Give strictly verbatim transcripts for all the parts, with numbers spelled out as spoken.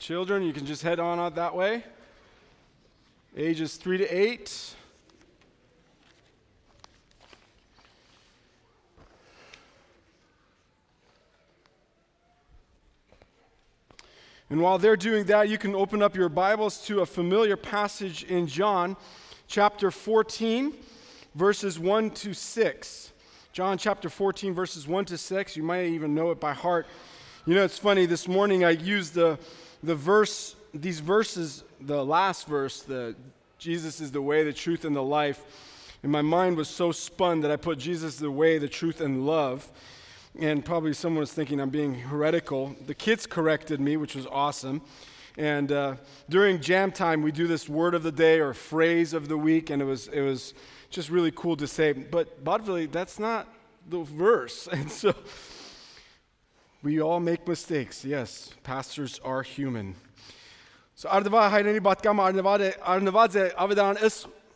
Children, you can just head on out that way. Ages three to eight. And while they're doing that, you can open up your Bibles to a familiar passage in John chapter fourteen, verses one to six. John chapter fourteen, verses one to six. You might even know it by heart. You know, it's funny, this morning I used the, the verse, these verses, the last verse, the Jesus is the way, the truth, and the life. And my mind was so spun that I put Jesus is the way, the truth, and love. And probably someone was thinking I'm being heretical. The kids corrected me, which was awesome. And uh, during jam time, we do this word of the day or phrase of the week, and it was it was just really cool to say. But Badvili, that's not the verse. And so we all make mistakes. Yes, pastors are human. So Ardva հայրենի պատկամը արնված է ավետարան ըս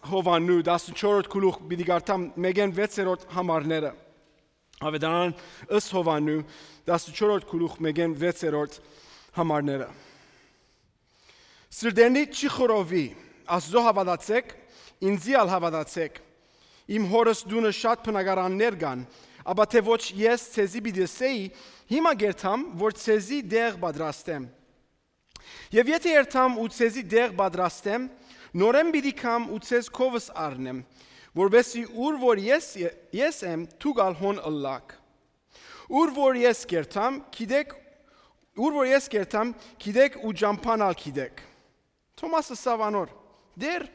Հովաննու տասնչորրորդ գլուխ պիտի կարդամ մեգեն վեցերորդ համարները. Ավետարան ըս Հովաննու տասնչորրորդ գլուխ մեգեն վեցերորդ համարները. Սրդենի չի խորովի, Աստծո հավատացեք, ինձի ալ հավատացեք. Իմ հորս դունը շատ բնակարաններ կան, ապա թե ոչ ես ցեզի պիտի ասեի, հիմա գերտամ, որ ցեզի դեղ պատրաստեմ. Եվ եթե երթամ ու ցեզի դեղ պատրաստեմ, նորեն պիտի կամ ու ցեզ քովս առնեմ, որովհետեւ ուր որ ես ես եմ, դու գալ հոն ըլլակ. Ուր որ ես գերտամ, գիտեք, ուր որ ես գերտամ, գիտեք ու ջամփանալ գիտեք. Թոմասը Սավանոր, դեր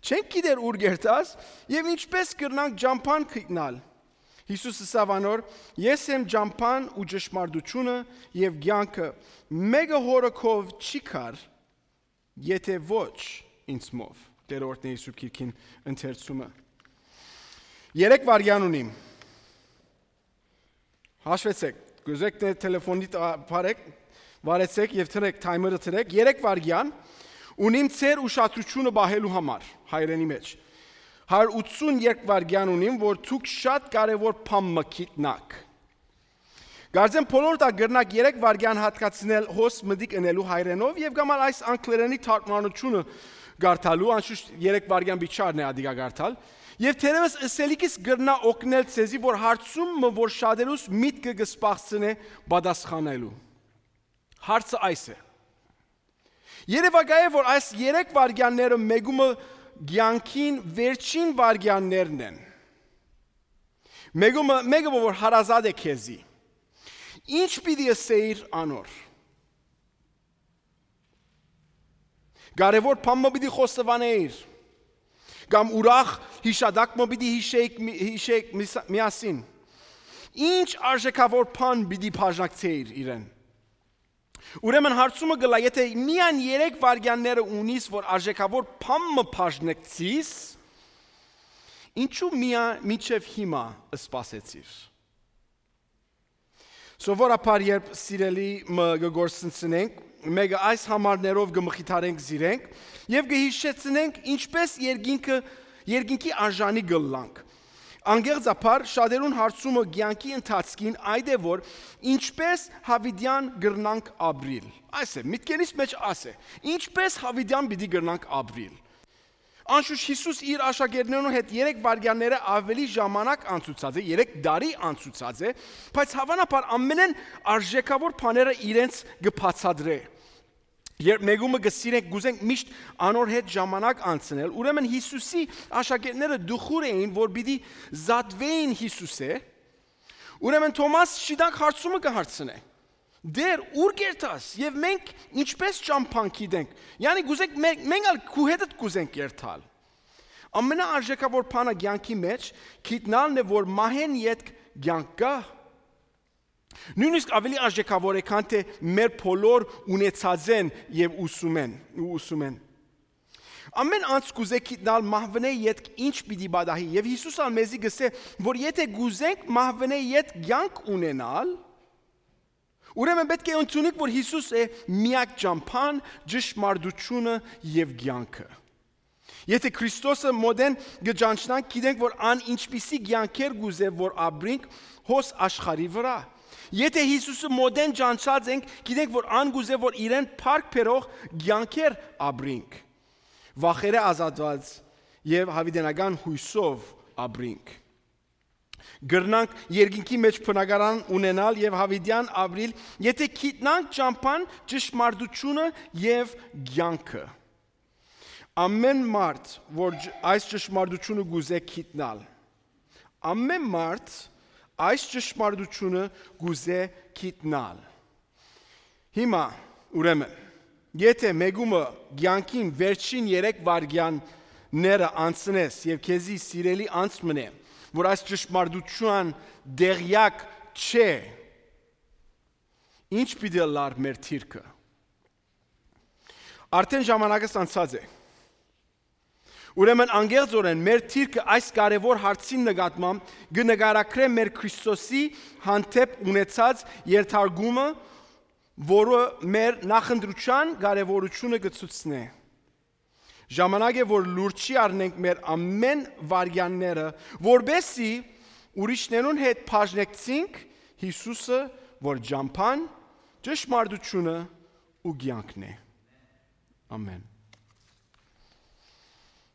չենք գիտեր ուր գերտաս, եւ ինչպես կրնանք ջամփան գտնալ. Հիսուսը Սավանոր, ես եմ ջամփան ու ճշմարտությունը եւ կյանքը, մեկը հորքով չի կար, եթե ոչ ինձմով. Տերորդն Հիսուս Քիրքին ընթերցումը. Երեք վարյան ունիմ. Հաշվեցեք, գուզեք տելեֆոնի բարեք, վարեցեք եւ թրեք թայմերը թրեք, երեք վարյան ունիմ ծեր ուշադրությունը բահելու համար հայրենի մեջ. հարյուր ութսուներեք վարյան ունիմ, որ դուք շատ կարևոր բան մգիտնաք. Գարձեմ բոլոր դա գրնակ երեք վարյան հատկացնել հոս մդիկ ընելու հայրենով եւ գամալ այս անգլերենի թարգմանությունը գարտալու, անշուշտ երեք վարյան բիչարն է ադիգա գարտալ. Եվ թերևս ըսելիքից գրնա օգնել ցեզի, որ հարցումը, որ շատերուս միտքը կսպասցնե պատասխանելու. Հարցը այս է. Երևակայ է, որ այս երեք վարյանները մեգումը Գյանքին վերջին վարյաններն են. Մեգումը մեգը որ հարազատ է քեզի. Ինչ պիտի ասեիր անոր. Կարևոր բան պիտի խոստովանեիր. Կամ ուրախ հիշադակ պիտի հիշեիք հիշեիք միասին. Ինչ արժեքավոր բան պիտի բաժնակցեիր իրեն. Ուրեմն հարցումը գլա, եթե միան երեք վարյանները ունիս, որ արժեքավոր բանը բաժնեկցիս, ինչու միան միջև հիմա սպասեցիր. Սովորաբար երբ սիրելի կգործընծնենք, մեկը այս համարներով կմխիթարենք զիրենք եւ կհիշեցնենք ինչպես երկինքը երկինքի արժանի գլանք. Անգեղծապար շատերուն հարցումը կյանքի ընթացքին այդ է, որ ինչպես հավիդյան գրնանք ապրիլ. Այս է, միտքերից մեջ աս է, ինչպես հավիդյան պիտի գրնանք ապրիլ. Անշուշտ Հիսուս իր աշակերտներուն հետ երեք վարյանները ավելի ժամանակ անցուցած է, երեք դարի անցուցած է, բայց հավանաբար ամենեն արժեքավոր բաները իրենց կբացատրե. Երբ մեգումը գսիրենք գուզենք միշտ անոր հետ ժամանակ անցնել, ուրեմն Հիսուսի աշակերտները դուխուր էին, որ պիտի զատվեին Հիսուսե, ուրեմն Թոմաս շիդակ հարցումը կհարցնե. Դեր ուր գերտաս եւ մենք ինչպես ճամփան գիտենք, yani գուզենք մենք ալ քու հետդ գուզենք երթալ. Ամենաարժեքավոր բանը կյանքի մեջ գիտնալն է, որ մահեն յետ կյանք կա. Նույնիսկ ավելի արժեքավոր է, քան թե մեր բոլոր ունեցած են եւ ուսում են, ուսում են. Ամեն անց գուզե գիտնալ մահվնե յետ ինչ պիտի բադահի եւ Հիսուսը մեզի գսե, որ եթե գուզենք մահվնե յետ կյանք ունենալ, ուրեմն պետք է ընդունենք, որ Հիսուս է միակ ճամփան, ճշմարտությունը եւ կյանքը. Եթե Քրիստոսը մոդեն գճանչնանք, գիտենք, որ ան ինչպիսի կյանքեր գուզե, որ ապրենք հոս աշխարհի վրա. Եթե Հիսուսը մոդեն ճանչած ենք, գիտենք, որ անգուզե, որ իրեն փառք բերող կյանքեր ապրենք, վախերը ազատված եւ հավիտենական հույսով ապրենք։ Գրնանք երկինքի մեջ բնակարան ունենալ եւ հավիտյան ապրիլ, եթե գիտնանք ճամփան ճշմարտությունը եւ կյանքը։ Ամեն մարդ, որ այս ճշմարտությունը գուզե գիտնալ, ամեն մարդ այս ճշմարտությունը գուզե գիտնալ։ Հիմա ուրեմն, եթե մեգումը կյանքին վերջին երեք վայրկյանները անցնես եւ քեզի սիրելի անցմնե, որ այս ճշմարտության դեղյակ չէ, ինչ պիտի լար մեր թիրքը։ Արդեն ժամանակը անցած է։ Ուրեմն անգեղծորեն մեր թիրքը այս կարևոր հարցին նկատմամբ կնկարագրե մեր Քրիստոսի հանդեպ ունեցած երթարկումը, որը մեր նախընտրության կարևորությունը կցուցնե։ Ժամանակ է, որ լուրջի առնենք մեր ամեն վայրկյանները, որբեսի ուրիշներուն հետ բաժնեկցենք Հիսուսը, որ ճամփան, ճշմարտությունը ու կյանքն է։ Ամեն։